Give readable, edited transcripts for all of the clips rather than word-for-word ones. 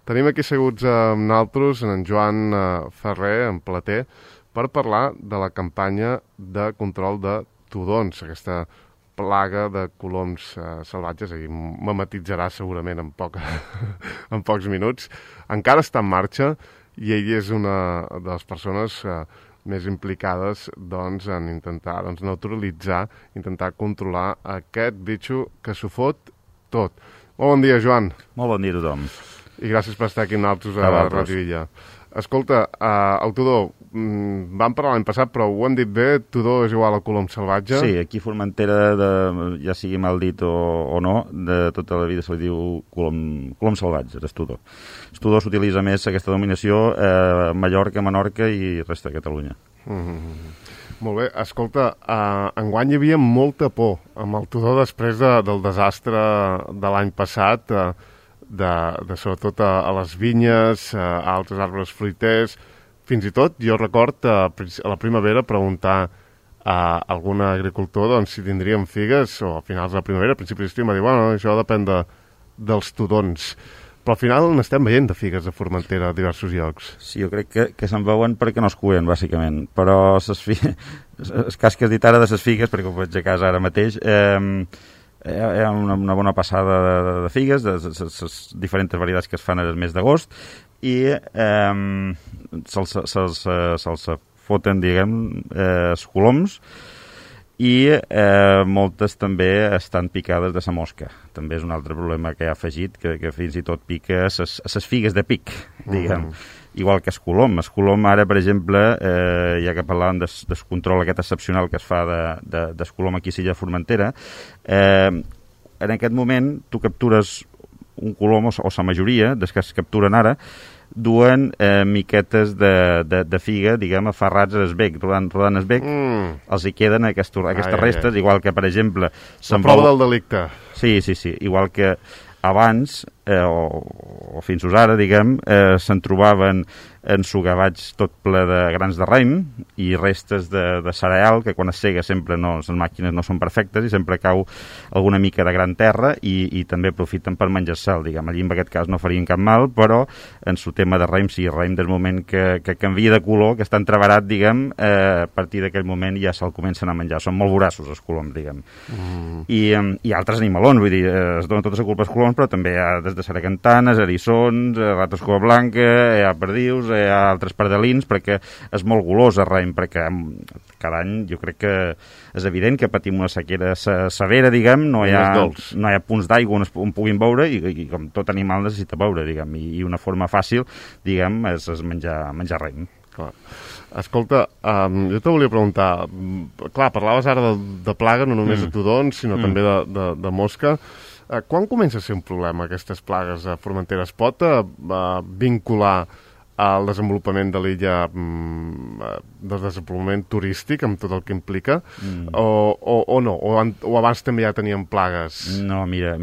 Tenim aquí seguts amb nosaltres en Joan Ferrer, en Plater, per parlar de la campanya de control de tudons, aquesta plaga de coloms salvatges, i mematitzarà segurament en pocs minuts. Encara està en marxa i ell és una de les persones més implicades en intentar neutralitzar, intentar controlar aquest bitxo que s'ho fot tot. Molt bon dia, Joan. Molt bon dia a tothom. I gràcies per estar aquí amb nosaltres a Ràdio Illa. Escolta, el tudó, vam parlar l'any passat, però ho han dit bé, tudó és igual a colom salvatge? Sí, aquí a Formentera, ja sigui mal dit o no, de tota la vida se li diu colom salvatge, és tudó. El tudó s'utilitza més aquesta denominació a Mallorca, Menorca i resta de Catalunya. Molt bé, escolta, enguany hi havia molta por amb el tudó després del desastre de l'any passat, sobretot a les vinyes, a altres arbres fruiters. Fins i tot, jo record a la primavera preguntar a algun agricultor si tindríem figues, o a finals de la primavera, a principis d'estiu, m'ha dit, bueno, això depèn dels tudons. Però al final n'estem veient de figues a Formentera a diversos llocs. Sí, jo crec que se'n veuen perquè no es cuien, bàsicament. Però el cas que has dit ara de les figues, perquè ho veig a casa ara mateix, hi ha una bona passada de figues, de les diferents varietats que es fan el mes d'agost, i se'ls foten, diguem, els coloms, i moltes també estan picades de la mosca. També és un altre problema que ha afegit, que fins i tot pica les figues de pic, diguem. Igual que el colom. El colom ara, per exemple, ja que parlàvem del control aquest excepcional que es fa del colom aquí a l'illa de Formentera, en aquest moment tu captures un colom, o la majoria dels que es capturen ara, duen miquetes de figa, diguem, aferrats al bec, rodant el bec, els hi queden aquestes restes, igual que, per exemple... La prova del delicte. Sí, igual que abans, o fins ara, diguem, se'n trobaven ensugavats tot ple de grans de raïm i restes de cereal, que quan es sega sempre les màquines no són perfectes i sempre cau alguna mica de gran terra i també aprofiten per menjar-se'l, diguem. Allí en aquest cas no farien cap mal, però en su tema de raïm, sí, el raïm del moment que canvia de color, que està entreverat, diguem, a partir d'aquell moment ja se'l comencen a menjar. Són molt voraços els coloms, diguem. I altres animalons, vull dir, es donen tota la culpa als coloms, però també hi ha des de saracantanes, eriçons, rates cua blanca, hi ha perdius, hi ha altres pardalins, perquè és molt golós el raïm, perquè cada any jo crec que és evident que patim una sequera severa, diguem, no hi ha punts d'aigua on puguin beure i com tot animal necessita beure, diguem, i una forma fàcil, diguem, és menjar raïm. Clar. Escolta, jo te volia preguntar, clar, parlaves ara de plaga, no només de tudons, sinó també de mosca. Quan comença a ser un problema aquestes plagues a Formentera? Es pot vincular al desenvolupament de l'illa, del desenvolupament turístic, amb tot el que implica, o no? O abans també ja teníem plagues? No, mira,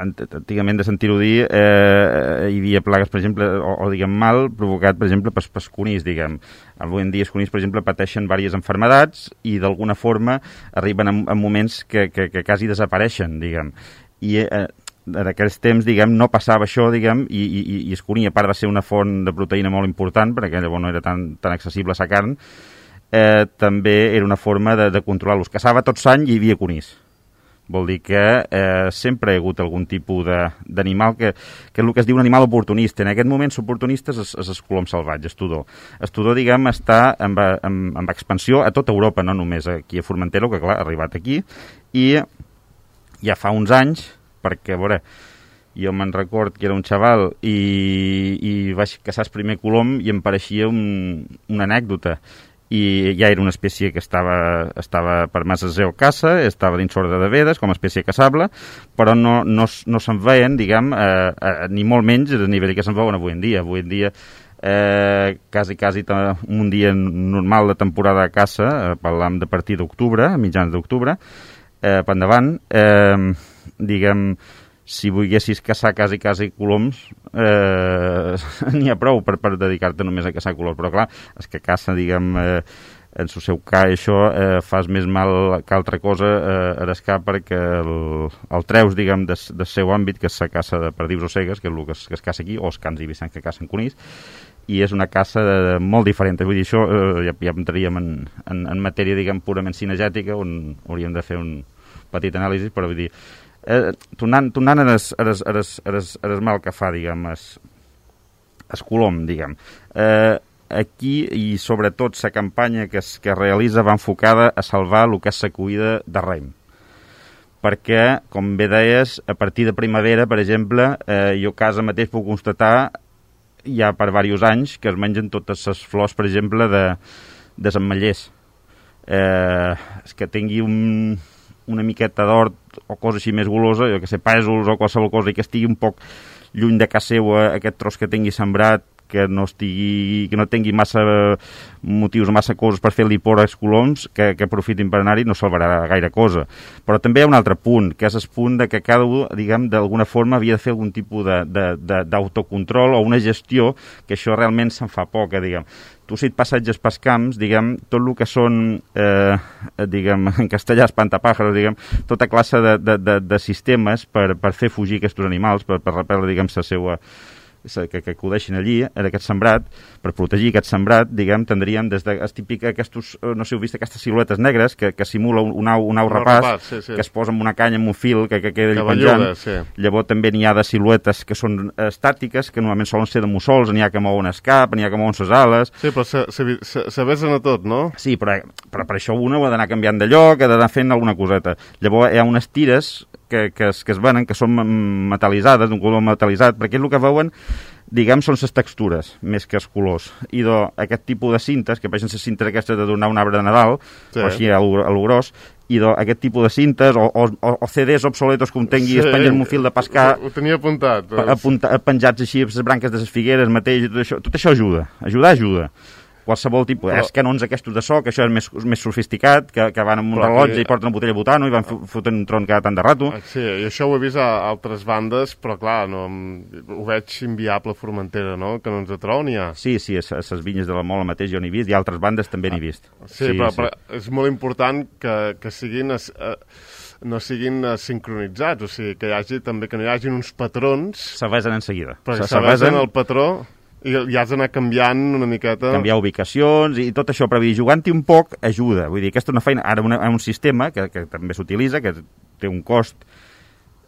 antigament de sentir-ho dir, hi havia plagues, per exemple, o diguem mal, provocat, per exemple, pels conills, diguem. Avui en dia els conills, per exemple, pateixen diverses malalties i d'alguna forma arriben a moments que quasi desapareixen, diguem. I en aquells temps, diguem, no passava això, diguem, i el conill, a part de ser una font de proteïna molt important, perquè llavors no era tan accessible a la carn, també era una forma de controlar-los. Caçava tot l'any i hi havia conills. Vol dir que sempre hi ha hagut algun tipus d'animal que és el que es diu un animal oportunista. En aquest moment, l'oportunista és el colom salvatge, el tudó. El tudó, diguem, està en expansió a tota Europa, no només aquí a Formentera, que clar, ha arribat aquí, i ja fa uns anys, perquè, a veure, jo me'n record que era un xaval i vaig caçar el primer colom i em pareixia una anècdota. I ja era una espècie que estava per massa geocaça, estava dins l'ordre de Vedes com a espècie caçable, però no se'n veien, diguem, ni molt menys a nivell que se'n veuen avui en dia. Avui en dia, quasi un dia normal de temporada de caça, parlam de partir d'octubre, a mitjans d'octubre, per endavant, diguem, si volguessis caçar quasi coloms, n'hi ha prou per dedicar-te només a caçar coloms, però clar, els que caça, diguem, en el seu cas això fas més mal que altra cosa a l'escar perquè el treus, diguem, del seu àmbit, que és la caça de perdius o cegues, que és el que es caça aquí, o els cans i vicents que cacen conills, i és una caça molt diferent. Vull dir, això ja entraríem en matèria, diguem, purament cinegètica, on hauríem de fer un petit anàlisi, però vull dir, tornant a el mal que fa, diguem, el colom, diguem, aquí, i sobretot la campanya que es realitza va enfocada a salvar el que és la cuida de rem. Perquè, com bé deies, a partir de primavera, per exemple, jo a casa mateix puc constatar ja per diversos anys que es mengen totes les flors, per exemple, de s'ametllers. Que tingui una miqueta d'hort o cosa així més golosa, jo que sé, pèsols o qualsevol cosa, i que estigui un poc lluny de casa seva aquest tros que tingui sembrat, que no tingui massa motius o massa coses per fer-li por als coloms, que aprofitin per anar-hi, no salvarà gaire cosa. Però també hi ha un altre punt, que és el punt de que cada un, diguem, d'alguna forma havia de fer algun tipus d'autocontrol o una gestió, que això realment se'n fa poca, diguem. Tu, si et passatges pels camps, diguem, tot el que són, diguem, en castellà, espantapàjaros, diguem, tota classe de sistemes per fer fugir aquests animals, per repel·ler, diguem, la seva que acudeixin allí, en aquest sembrat, per protegir aquest sembrat, diguem, tindríem des de aquests, no sé, heu vist aquestes siluetes negres que simula un au rapaç, sí. Que es posa amb una canya, amb un fil, que queda allà penjant. Sí. Llavors també n'hi ha de siluetes que són estàtiques, que normalment solen ser de mussols, n'hi ha que mouen el cap, n'hi ha que mouen les ales. Sí, però se besen a tot, no? Sí, però per això una ha d'anar canviant de lloc, ha d'anar fent alguna coseta. Llavors hi ha unes tires que es venen, que són metal·litzades, d'un color metal·litzat, perquè el que veuen, diguem, són les textures, més que els colors. I aquest tipus de cintes, que vegin les cintes aquestes de donar un arbre de Nadal, sí, o així a lo gros, i aquest tipus de cintes, o CDs obsoletos que un tingui, es pengen amb un fil de pescar... Ho tenia apuntat. Penjats així, les branques de les figueres, mateix, tot això ajuda. Ajuda. Qualsevol tipus. Però... canons aquests de so, que això és més sofisticat, que van amb un rellotge i porten una botella de butano i van fotent un tron cada tant de rato. Sí, i això ho he vist a altres bandes, però clar, no, ho veig inviable a Formentera, no? Que no ens atrau n'hi ha. Sí, a les vinyes de la Mola mateix jo n'he vist, i altres bandes també n'he vist. Sí, però és molt important que siguin... no siguin sincronitzats, o sigui, que no hi hagi uns patrons... S'avesen en seguida. Perquè s'avesen el patró... I has d'anar canviant una miqueta... Canviar ubicacions i tot això, però jugant-hi un poc ajuda. Vull dir, aquesta és una feina... Ara un sistema que també s'utilitza, que té un cost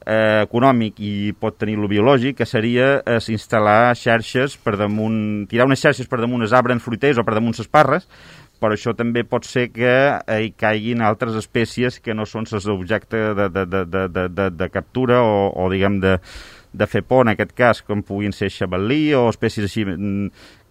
econòmic i pot tenir lo biològic, que seria instal·lar xarxes per damunt... Tirar unes xarxes per damunt els arbres fruiters o per damunt les parres, però això també pot ser que hi caiguin altres espècies que no són les objecte de captura o diguem, de fer por, en aquest cas, com puguin ser xavalí o espècies així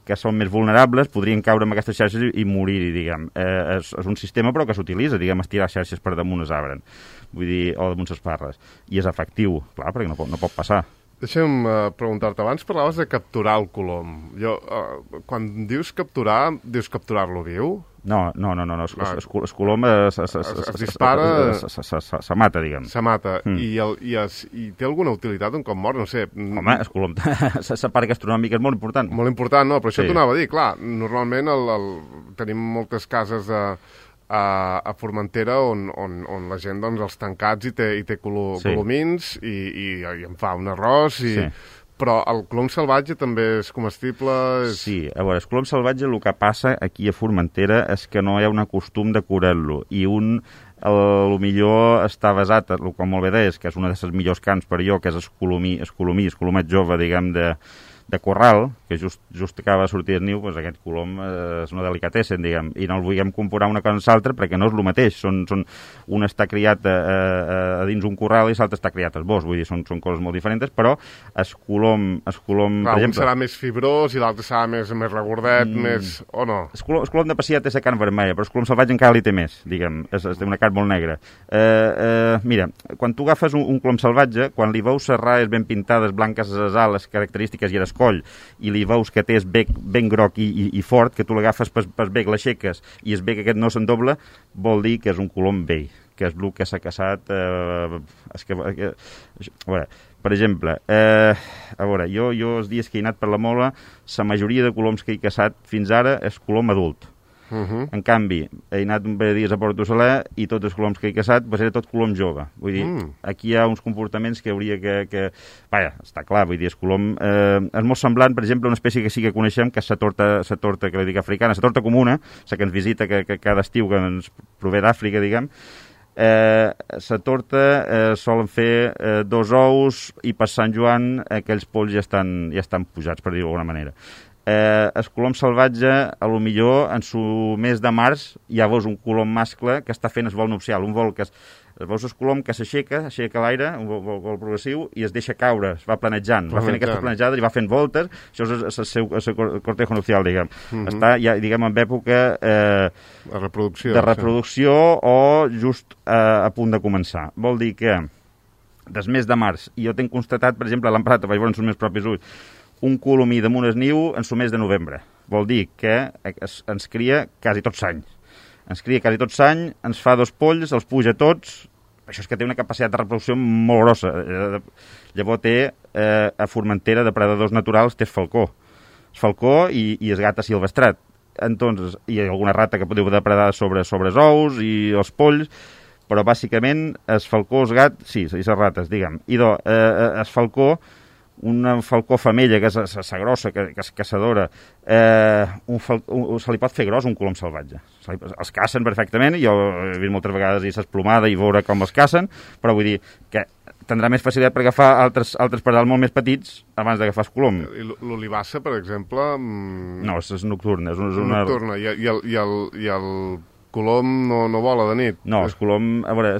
que són més vulnerables, podrien caure en aquestes xarxes i morir, diguem. És un sistema, però que s'utilitza, diguem, estirar xarxes per damunt els arbres, vull dir, o damunt les parres. I és efectiu, clar, perquè no pot passar. Deixa'm preguntar-te, abans parlaves de capturar el colom. Quan dius capturar-lo viu? No. El colom es dispara... Se mata, diguem. Se mata. I té alguna utilitat un cop mort? No sé. Home, el colom, la part gastronòmica és molt important. Molt important, no? Però això t'ho anava a dir, clar. Normalment tenim moltes cases a Formentera on la gent, doncs, els tancats i té colomins i en fa un arròs i... Sí. Però el colom salvatge també és comestible? Sí, a veure, el colom salvatge el que passa aquí a Formentera és que no hi ha un costum de curar-lo i millor està basat, com molt bé deies, que és una de les millors cants per jo, que és el colomet jove, diguem, de corral, que just acaba de sortir el niu, doncs aquest colom és una delicatessen, diguem, i no el vulguem comparar una cosa amb l'altra perquè no és el mateix. Un està criat a dins un corral i l'altre està criat al bosc, vull dir, són coses molt diferents, però el colom clar, per exemple... Un serà més fibrós i l'altre serà més regordet, més... o no? El colom de Pacià té la carn vermella, però el colom salvatge encara li té més, diguem, té una carn molt negra. Mira, quan tu agafes un colom salvatge, quan li veus les raes ben pintades, blanques a les ales, característiques i a l'escoll, i li veus que té el bec ben groc i fort, que tu l'agafes pel bec, l'aixeques, i el bec aquest no s'endobla, vol dir que és un colom vell, que és el que s'ha caçat... a veure, per exemple, jo els dies que he anat per la Mola, la majoria de coloms que he caçat fins ara és colom adult. En canvi, he anat un parell de dies a Porto Soler i tots els coloms que he caçat era tot colom jove. Vull dir, aquí hi ha uns comportaments que hauria que... Vaja, està clar, vull dir, és colom... és molt semblant, per exemple, a una espècie que sí que coneixem, que és la torta que li dic africana, la torta comuna, la que ens visita que cada estiu, que ens prové d'Àfrica, diguem. La torta solen fer 2 ous i per Sant Joan aquells polls ja estan pujats, per dir-ho d'alguna manera. El colom salvatge, a lo millor en su mes de març ja veus un colom mascle que està fent el vol nupcial, un vol que veus el colom que s'aixeca l'aire, un vol progressiu, i es deixa caure, es va planejant, va fent aquestes planejades i va fent voltes. Això és el seu cortejo nupcial, diguem. Està ja, diguem, en època de reproducció o just a punt de començar. Vol dir que des mes de març, i jo tinc constatat, per exemple, a l'Emprat, vaig veure en els meus propis ulls, un colomí damunt el niu en el mes de novembre. Vol dir que ens cria quasi tots l'any. Ens cria quasi tots l'any, ens fa 2 polls, els puja tots. Això és que té una capacitat de reproducció molt grossa. Llavors té a Formentera, depredadors naturals, té el falcó. El falcó i el gat asilvestrat. Entonces, hi ha alguna rata que podeu depredar sobre els ous i els polls, però bàsicament el falcó, el gat, sí, les rates, diguem. I el falcó, una falcó femella, que és la grossa, que és caçadora, se li pot fer gros un colom salvatge. Els cacen perfectament, jo he vist moltes vegades i s'esplomada i veure com els cacen, però vull dir que tindrà més facilitat per agafar altres pardals molt més petits abans d'agafar el colom. I l'olivassa, per exemple... No, és nocturna. És nocturna, i el colom no vola de nit. No, el colom... A veure,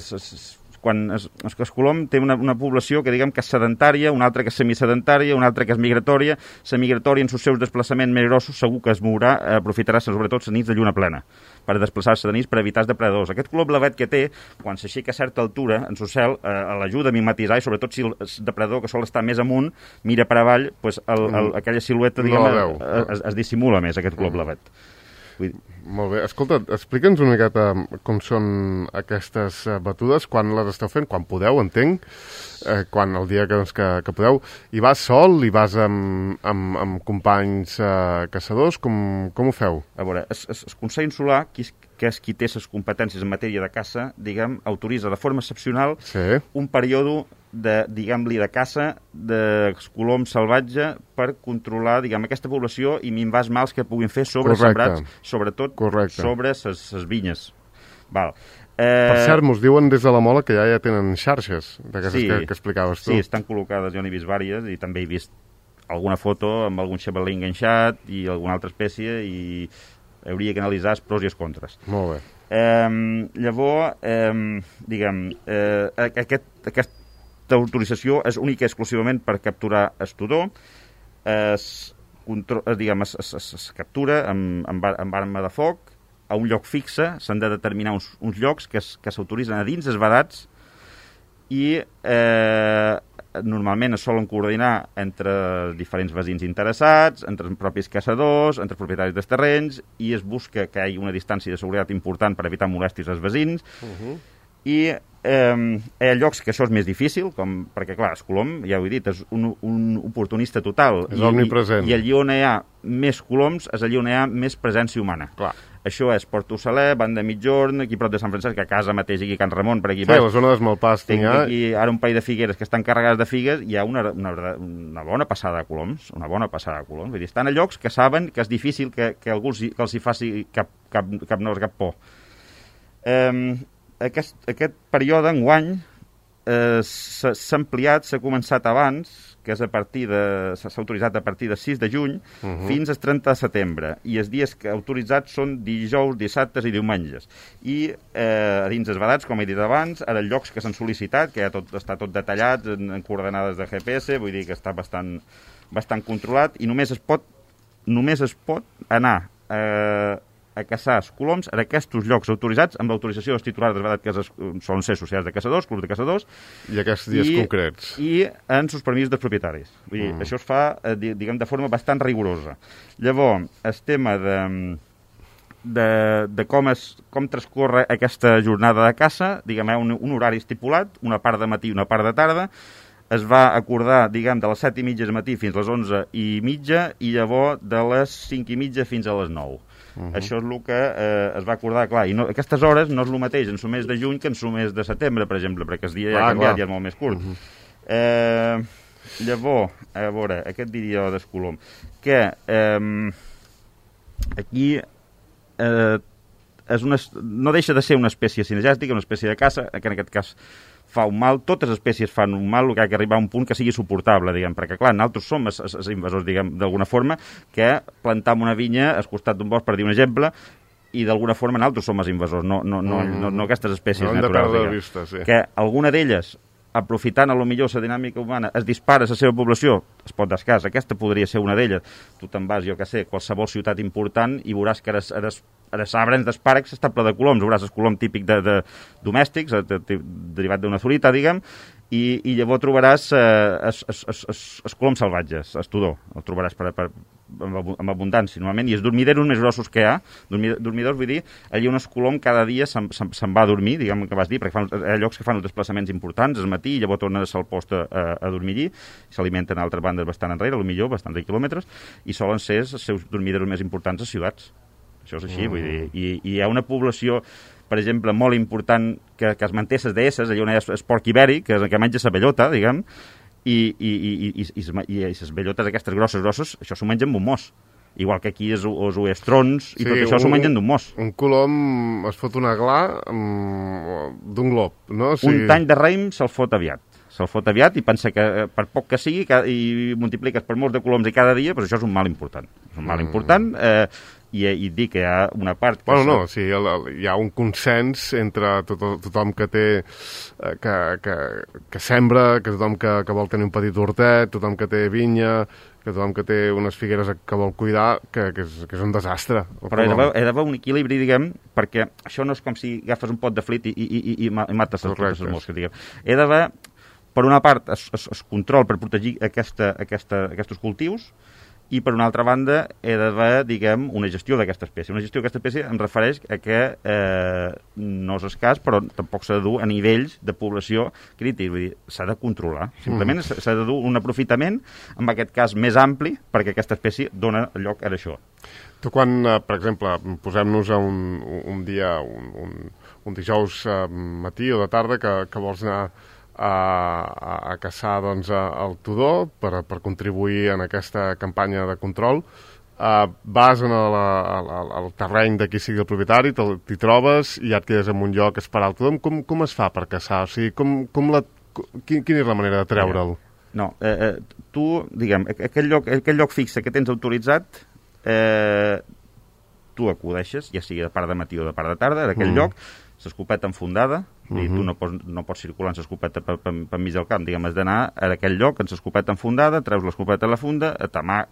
quan el colom té una població que diguem que és sedentària, una altra que és semisedentària, una altra que és migratòria. La migratòria, en els seus desplaçaments més grossos, segur que es mourà, aprofitarà sobretot les nits de lluna plena per desplaçar-se de nits per evitar els depredadors. Aquest color blavet que té, quan s'aixeca a certa altura en el cel, l'ajuda a mimetitzar, i sobretot si el depredador que sol estar més amunt mira per avall, pues aquella silueta diguem, es dissimula més, aquest color blavet. Molt bé. Escolta, explica'ns una miqueta com són aquestes batudes, quan les esteu fent, quan podeu, entenc, quan el dia que podeu. I vas sol, i vas amb companys caçadors, com ho feu? A veure, el Consell Insular, que és qui té les competències en matèria de caça, diguem, autoritza de forma excepcional un període diguem-li, de caça de colom salvatge per controlar, diguem, aquesta població i minvar els mals que puguin fer sobre sembrats, sobretot sobre les vinyes. Val. Per cert, mos diuen des de la Mola que ja tenen xarxes d'aquestes que explicaves tu. Sí, estan col·locades, jo n'he vist vàries i també he vist alguna foto amb algun xavalí enganxat i alguna altra espècie, i hauria que analitzar els pros i els contres. Molt bé. Llavors, diguem, aquesta autorització és única i exclusivament per capturar el tudó. Es captura amb arma de foc a un lloc fixe. S'han de determinar uns llocs que s'autoritzen a dins els vedats, i normalment es solen coordinar entre diferents veïns interessats, entre els propis caçadors, entre els propietaris dels terrenys, i es busca que hi hagi una distància de seguretat important per evitar molèsties als veïns. I hi ha llocs que això és més difícil, perquè, clar, el colom, ja ho he dit, és un oportunista total. És omnipresent. I allí on hi ha més coloms és allí on hi ha més presència humana. Clar. Això és Porto Saler, Banda de Mitjorn, aquí prop de Sant Francesc, a casa mateix, aquí a Can Ramon, per aquí baix. Sí, la zona d'Esmalpàs. Tinc aquí ara un parell de figueres que estan carregades de figues, i hi ha una bona passada de coloms, Vull dir, estan a llocs que saben que és difícil que algú els hi faci cap por. Aquest període, enguany, s'ha ampliat, s'ha començat abans, que és s'ha autoritzat a partir del 6 de juny fins al 30 de setembre, i els dies autoritzats són dijous, dissabtes i diumenges. I dins els vedats, com he dit abans, ara llocs que s'han sol·licitat, que ja està tot detallat en coordenades de GPS, vull dir que està bastant controlat, i només es pot anar a caçar els coloms en aquests llocs autoritzats amb l'autorització dels titulars dels vedats, que solen ser societats de caçadors, clubs de caçadors. I aquests dies concrets. I en els permisos dels propietaris. Vull dir, això es fa, diguem, de forma bastant rigorosa. Llavors, el tema de com transcorre aquesta jornada de caça, diguem, un horari estipulat, una part de matí i una part de tarda. es va acordar, diguem, de les 7:30 del matí fins a les 11:30 i llavors de les 5:30 fins a les 9. Això és el que es va acordar, clar, i no, aquestes hores no és el mateix en el mes de juny que en el mes de setembre, per exemple, perquè el dia ja ha canviat i és molt més curt. Llavors, a veure, què et diria del colom? Que aquí no deixa de ser una espècie cinegèstica, una espècie de caça, que en aquest cas fa un mal, totes les espècies fan un mal, el que ha d'arribar a un punt que sigui suportable, diguem, perquè clar, nosaltres som els invasors, diguem, d'alguna forma, que plantam una vinya al costat d'un bosc, per dir un exemple, i d'alguna forma nosaltres som els invasors, no aquestes espècies naturals, diguem. Vista, sí. Que alguna d'elles, aprofitant a lo millor la dinàmica humana, es dispara la seva població, es pot descas, aquesta podria ser una d'elles. Tu te'n vas, jo què sé, qualsevol ciutat important i veuràs que els arbres d'espàrrecs està ple de coloms, veuràs el colom típic de domèstics, derivat d'una zurita, diguem, i llavors trobaràs els coloms salvatges, el tudó, el trobaràs amb abundància, normalment, i els dormideros més grossos que hi ha, dormidors, vull dir, allà un colom cada dia se'n va a dormir, diguem que vas dir, perquè hi ha llocs que fan els desplaçaments importants al matí i llavors tornen al post a dormir allí, s'alimenten a altres bandes bastant enrere, potser bastants de quilòmetres, i solen ser els seus dormideros més importants a ciutats. Això és així, vull dir, i hi ha una població, per exemple, molt important que es manté les deesses, allà on hi ha el porc ibèric, que menja la bellota, diguem, i les bellotes aquestes grosses, això s'ho mengen amb un mos. Igual que aquí els oestrons i tot això s'ho mengen d'un mos. Un colom es fot una gla d'un glob, no? Un tany de raïm se'l fot aviat. Se'l fot aviat i pensa que per poc que sigui i multipliques per molts de coloms i cada dia, doncs això és un mal important. És un mal important i dic que hi ha una part... Bueno, sí, hi ha un consens entre tothom que té... que sembra, que tothom que vol tenir un petit hortet, tothom que té vinya, que tothom que té unes figueres que vol cuidar, que és un desastre. Però hi ha d'haver un equilibri, diguem, perquè això no és com si agafes un pot de flit i mates les mosques, diguem. Hi ha d'haver, per una part, el control per protegir aquests cultius, i per una altra banda he d'haver, diguem, una gestió d'aquesta espècie. Una gestió d'aquesta espècie em refereix a que no és escàs, però tampoc s'ha de dur a nivells de població crític, vull dir, s'ha de controlar. Simplement s'ha de dur un aprofitament, en aquest cas més ampli, perquè aquesta espècie dona lloc a això. Tu quan, per exemple, posem-nos a un dia, un dijous matí o de tarda que vols anar a caçar doncs, el tudó per contribuir en aquesta campanya de control, vas al terreny de qui sigui el propietari, t'hi trobes i ja et quedes en un lloc a esperar el tudó. Com es fa per caçar? O sigui, quina és la manera de treure'l? No, tu, diguem, aquell lloc fixe que tens autoritzat, tu acudeixes, ja sigui de part de matí o de part de tarda, d'aquell lloc, l'escopeta enfundada, i tu no pots circular amb l'escopeta per mig del camp, diguem, has d'anar a aquell lloc amb l'escopeta enfundada, treus l'escopeta a la funda,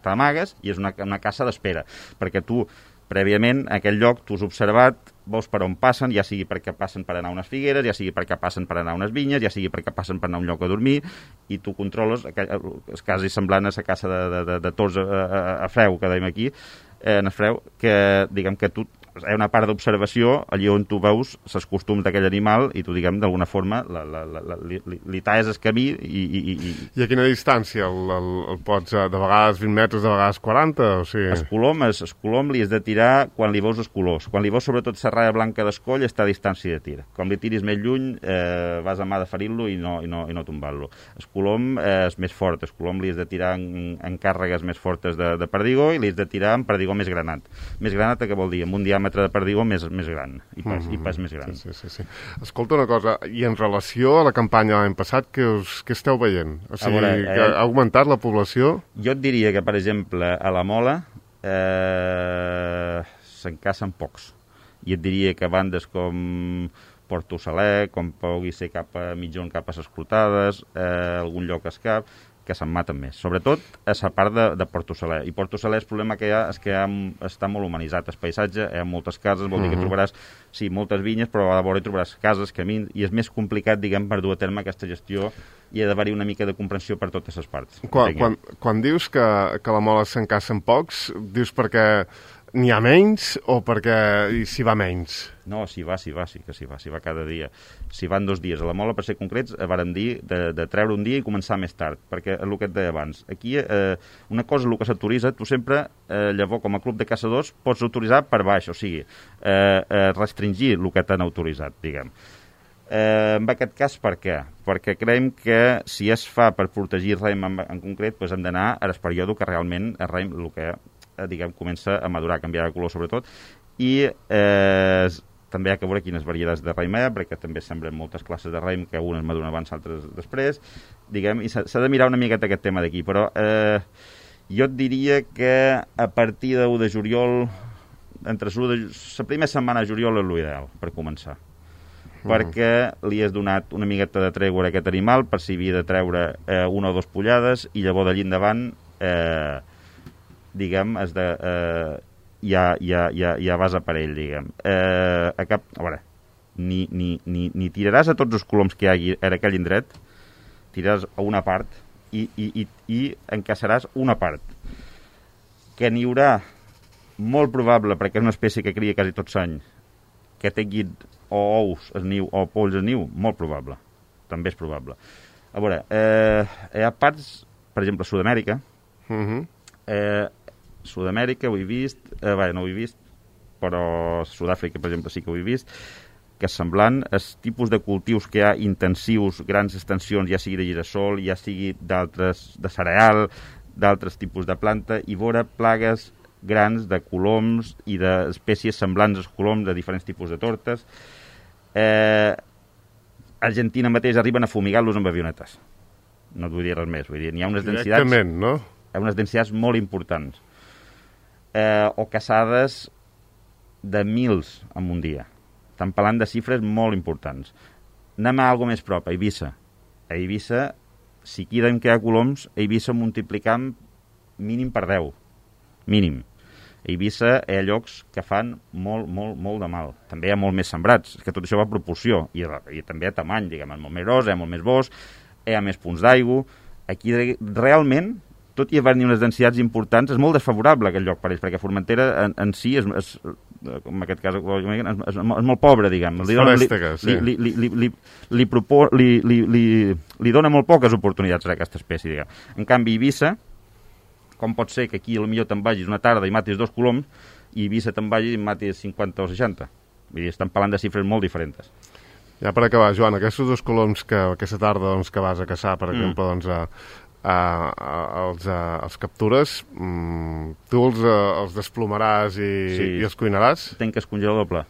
t'amagues i és una caça d'espera, perquè tu, prèviament, a aquell lloc tu has observat, veus per on passen, ja sigui perquè passen per anar a unes figueres, ja sigui perquè passen per anar a unes vinyes, ja sigui perquè passen per anar a un lloc a dormir, i tu controles, és quasi semblant a la caça de tors a freu, que dèiem aquí, en el freu, que, diguem, que tu hi ha una part d'observació allí on tu veus els costums d'aquell animal i tu, diguem, d'alguna forma li talles el camí I a quina distància el pots? De vegades 20 metres, de vegades 40? O sigui... El colom li has de tirar quan li veus els colors. Quan li veus sobretot la ratlla blanca d'escoll està a distància de tir. Com li tiris més lluny vas a mà de ferir-lo i no tombar-lo. El colom és més fort. El colom li has de tirar en càrregues més fortes de perdigó i li has de tirar en perdigó més granat. Més granat, què vol dir? Amb un diàmetre de perdigó més gran i pas més gran. Sí. Escolta una cosa, i en relació a la campanya l'any passat, què esteu veient? O sigui, que ha augmentat la població? Jo et diria que, per exemple, a la Mola se'n cacen pocs. I et diria que bandes com Porto Saler, com pugui ser cap a Mitjón, cap a les Clotades, algun lloc a Escap, que se'n maten més, sobretot a la part de Porto Saler. I Porto Saler el problema que hi ha és que està molt humanitzat el paisatge, hi ha moltes cases, vol dir que trobaràs, sí, moltes vinyes, però a la vora hi trobaràs cases, camins, i és més complicat, diguem, per dur a terme aquesta gestió i ha d'haver-hi una mica de comprensió per totes les parts. Quan dius que la Mola se'n cacen pocs, dius perquè n'hi ha menys o perquè s'hi va menys? No, s'hi va, sí que s'hi va cada dia. S'hi van 2 dies. A la Mola, per ser concrets, vàrem dir de treure un dia i començar més tard, perquè el que et deia abans, aquí una cosa, el que s'autoritza, tu sempre, llavors, com a club de caçadors, pots autoritzar per baix, o sigui, restringir el que t'han autoritzat, diguem. En aquest cas, per què? Perquè creiem que si es fa per protegir raïm en concret, doncs hem d'anar a l'esperíode que realment el raïm, el que diguem, comença a madurar, a canviar de color sobretot, i també hi ha que veure quines varietats de raïm hi ha, perquè també semblen moltes classes de raïm que unes maduren abans, altres després, diguem, i s'ha de mirar una miqueta aquest tema d'aquí, però jo et diria que a partir de 1 de juliol, entre la primera setmana de juliol és l'ideal per començar. Perquè li has donat una miqueta de tregua a aquest animal per si havia de treure 1 o 2 pollades i llavors d'allí endavant diguem ja vas a per ell, diguem. A veure, ni tiraràs a tots els coloms que hi hagi en aquell indret, tiraràs a una part i encaçaràs una part. Que n'hi haurà molt probable, perquè és una espècie que cria quasi tots l'any, que tinguin o ous al niu o polls al niu, molt probable. També és probable. A veure, hi ha parts, per exemple, a Sud-amèrica. Sud-amèrica ho he vist, no ho he vist, però Sud-àfrica, per exemple, sí que ho he vist, que és semblant, els tipus de cultius que hi ha intensius, grans extensions, ja sigui de girassol, ja sigui d'altres, de cereal, d'altres tipus de planta, i veure plagues grans de coloms i d'espècies semblants als coloms de diferents tipus de tortes. Argentina mateix arriben a fumigar-los amb avionetes. No et vull dir res més. Vull dir, n'hi ha unes densitats... Directament, no? Hi ha unes densitats molt importants. O caçades de mils en un dia. Estan parlant de xifres molt importants. Anem a alguna més prop, a Eivissa. A Eivissa, si queden que hi ha coloms, a Eivissa multiplicam mínim per 10. Mínim. A Eivissa hi ha llocs que fan molt, molt, molt de mal. També hi ha molt més sembrats, és que tot això va a proporció, i també a tamany, diguem, és molt més gros, hi ha molt més bosc, hi ha més punts d'aigua. Aquí realment, tot i haver-hi unes densitats importants, és molt desfavorable aquest lloc per ells, perquè Formentera en si, en aquest cas, és molt pobre, diguem. Li dona molt poques oportunitats a aquesta espècie, diguem. En canvi, Eivissa, com pot ser que aquí potser te'n vagis una tarda i matis 2 coloms i a Eivissa te'n vagis i matis 50 o 60. Vull dir, estan parlant de xifres molt diferents. Ja per acabar, Joan, aquests 2 coloms que aquesta tarda que vas a caçar, per exemple, els captures, tu els desplomaràs i els cuinaràs? Tenc que es congela doble.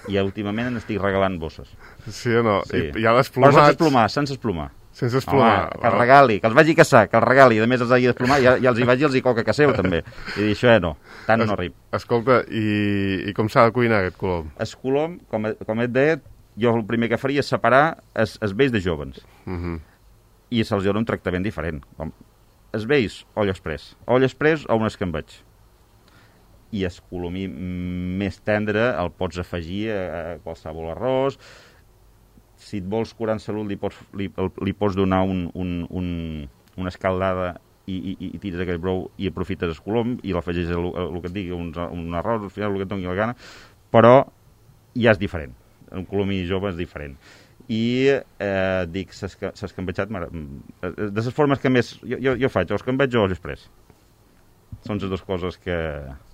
I últimament n'estic regalant bosses. Sí o no? Sí. I ja desplomats... Però sense esplomar. Sense esplomar. Home, que els regali, que els vagi a caçar, que els regali, i a més els hagi d'esplomar, ja els hi vagi els hi coca que seu, també. I dir, això no, tant no arrib. Escolta, i com s'ha de cuinar aquest colom? El colom, com et deia, jo el primer que faria és separar els vells de jovens. I se'ls dona un tractament diferent. Els vells, olla express. Olla express o un escambeig. I el colomí més tendre el pots afegir a qualsevol arròs. Si et vols curar en salut, li pots donar una escaldada i tires aquell brou i aprofites el colom i l'afegeixes el que et digui, un arròs, al final el que et doni la gana, però ja és diferent. Un colomí jove és diferent. I dic, s'ha escambetxat... De les formes que més... Jo faig, o escambeig o l'express. Són les dues coses que...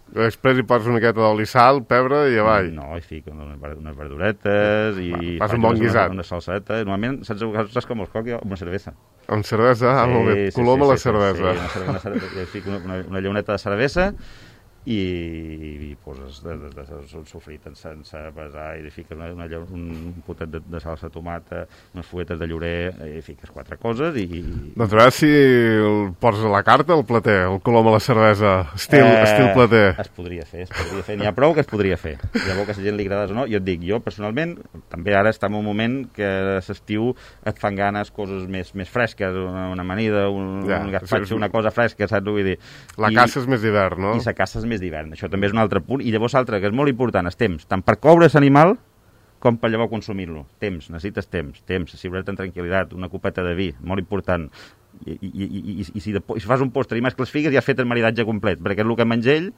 Després hi poses una miqueta d'oli, sal, pebre i avall. No, hi fico unes verduretes i... Fas un bon guisat. Una salseta. Normalment, saps com els coc? Amb una cervesa. Amb cervesa? Molt bé. Colom a la cervesa. Sí, fico una llauneta de cervesa i poses un sofrit sense pesar i li fiques un potet de salsa de tomata, unes fuetes de llorer i fiques 4 coses i... Doncs a veure si el poses a la carta, el plater, el colom a la cervesa, estil plater. Es podria fer. N'hi ha prou que es podria fer. Llavors que a la gent li agrades o no, jo et dic, jo personalment, també ara estem en un moment que a l'estiu et fan ganes coses més fresques, una amanida, un gaspatxo, una cosa fresca, saps? Vull dir... La caça és més d'hivern, no? I la caça és més d'hivern. Això també és un altre punt. I llavors l'altre, que és molt important, és temps, tant per coure l'animal com per llavors consumir-lo. Temps, necessites temps, asseure't en tranquil·litat, una copeta de vi, molt important. I si fas un postre i mescles figues ja has fet el maridatge complet, perquè és el que menja ell.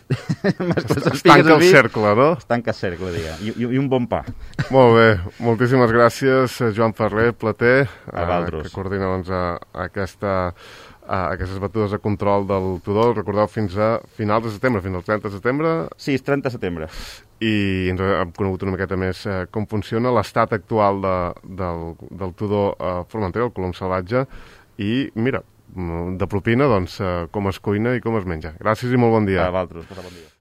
Es tanca el cercle, no? Es tanca el cercle, diguem, i un bon pa. Molt bé, moltíssimes gràcies, Joan Ferrer, plater, que coordina doncs, aquestes batudes de control del Tudó. Recordeu, fins a finals de setembre, fins al 30 de setembre. Sí, és 30 de setembre. I ens hem conegut una miqueta més com funciona l'estat actual del Tudó Formentera, el colom salvatge, i mira, de propina, doncs, com es cuina i com es menja. Gràcies i molt bon dia. A vosaltres, bon dia.